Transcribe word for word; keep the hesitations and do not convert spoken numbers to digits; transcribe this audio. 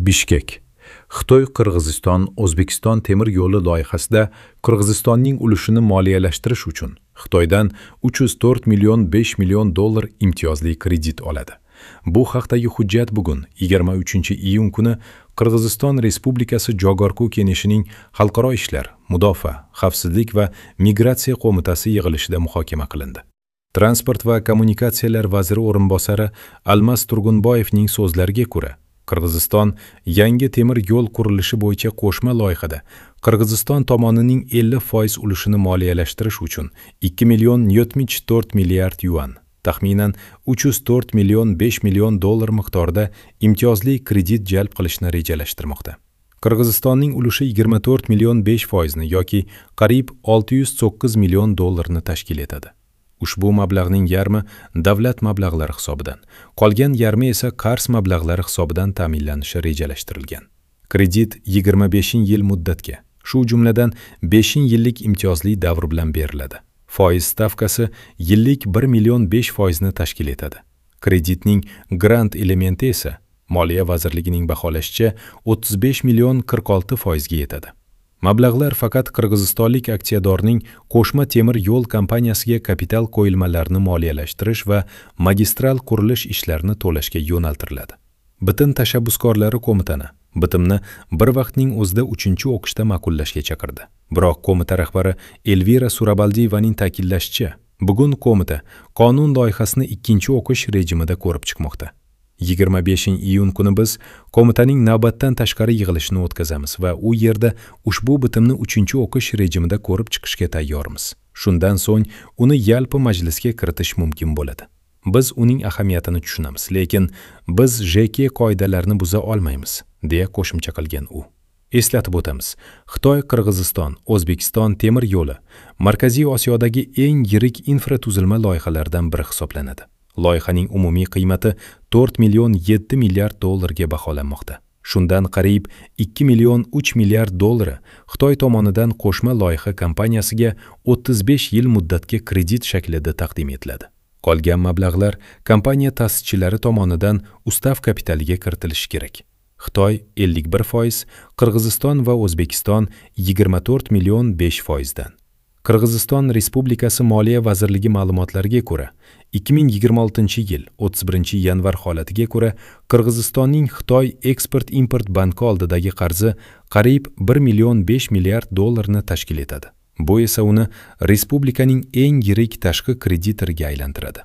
Bishkek. Xitoy Qirg'iziston O'zbekiston temir yo'li loyihasida Qirg'izistonning ulushini moliyalashtirish uchun Xitoydan uch yuz to'rt million besh million dollar imtiyozli kredit oladi. Bu haqdagi hujjat bugun yigirma uchinchi iyun kuni Qirg'iziston Respublikasi Jogorku Keneshining Xalqaro ishlar, mudofaa, xavfsizlik va migratsiya qo'mitasi yig'ilishida muhokama qilindi. Transport va kommunikatsiyalar vaziri o'rinbosari Almas Turgunboyevning so'zlariga ko'ra, Qirg'iziston yangi temir yo'l qurilishi bo'yicha qo'shma loyihada Qirg'iziston tomonining ellik foiz ulushini moliyalashtirish uchun ikki million yetmish to'rt milliard yuan, taxminan uch yuz to'rt million besh million dollar miqdorida imtiyozli kredit jalb qilishni rejalashtirmoqda. Qirg'izistonning ulushi yigirma to'rt million besh foizni yoki qariyb olti yuz to'qqiz million dollarni tashkil etadi. Ushbu mablag'ning yarmi davlat mablag'lari hisobidan, qolgan yarmi esa qarz mablag'lari hisobidan ta'minlanishi rejalashtirilgan. Kredit yigirma besh yil muddatga, shu jumladan besh yillik imtiyozli davr bilan beriladi. Foiz stavkasi yillik bir million besh foizni tashkil etadi. Kreditning grant elementi esa Moliya vazirligining baholashicha o'ttiz besh million qirq olti foizga yetadi. Mablag'lar faqat qirg'izistonlik aksiyadorning qo'shma temir yo'l kompaniyasiga kapital qo'yilmalarini moliyalashtirish va magistral qurilish ishlarini to'lashga yo'naltiriladi. Bitim tashabbuskorlari qo'mitani bitimni bir vaqtning o'zida uchinchi o'qishda ma'qullashga chaqirdi. Biroq qo'mita rahbari Elvira Surabaldiyevaning ta'kidlashicha, bugun qo'mita qonun loyihasini ikkinchi o'qish rejimida ko'rib chiqmoqda. yigirma beshinchi iyun kuni biz qo'mitaning navbatdan tashqari yig'ilishini o'tkazamiz va u yerda ushbu bitimni uchinchi o'qish rejimida ko'rib chiqishga tayyormiz. Shundan so'ng uni yalpi majlisga kiritish mumkin bo'ladi. Biz uning ahamiyatini tushunamiz, lekin biz J K qoidalarini buza olmaymiz, deya qo'shimcha qilgan u. Eslatib o'tamiz, Xitoy Qirg'iziston O'zbekiston temir yo'li Markaziy Osiyodagi eng yirik infratuzilma loyihalaridan biri hisoblanadi. Loyihaning umumiy qiymati to'rt million yetti milliard dollarga baholanmoqda. Shundan qariyb ikki million uch milliard dollari Xitoy tomonidan qo'shma loyiha kompaniyasiga o'ttiz besh yil muddatga kredit shaklida taqdim etiladi. Qolgan mablag'lar kompaniya ta'sischilari tomonidan ustav kapitaliga kiritilishi kerak. Xitoy ellik bir foiz, Qirg'iziston va O'zbekiston yigirma to'rt million besh foizdan. Qirg'iziston Respublikasi Moliya vazirligi ma'lumotlariga ko'ra, ikki ming yigirma oltinchi yil o'ttiz birinchi yanvar holatiga ko'ra, Qirg'izistonning Xitoy eksport-import banki oldidagi qarzi qariyb bir million besh milliard dollarni tashkil etadi. Bu esa uni respublikaning eng yirik tashqi kreditoriga aylantiradi.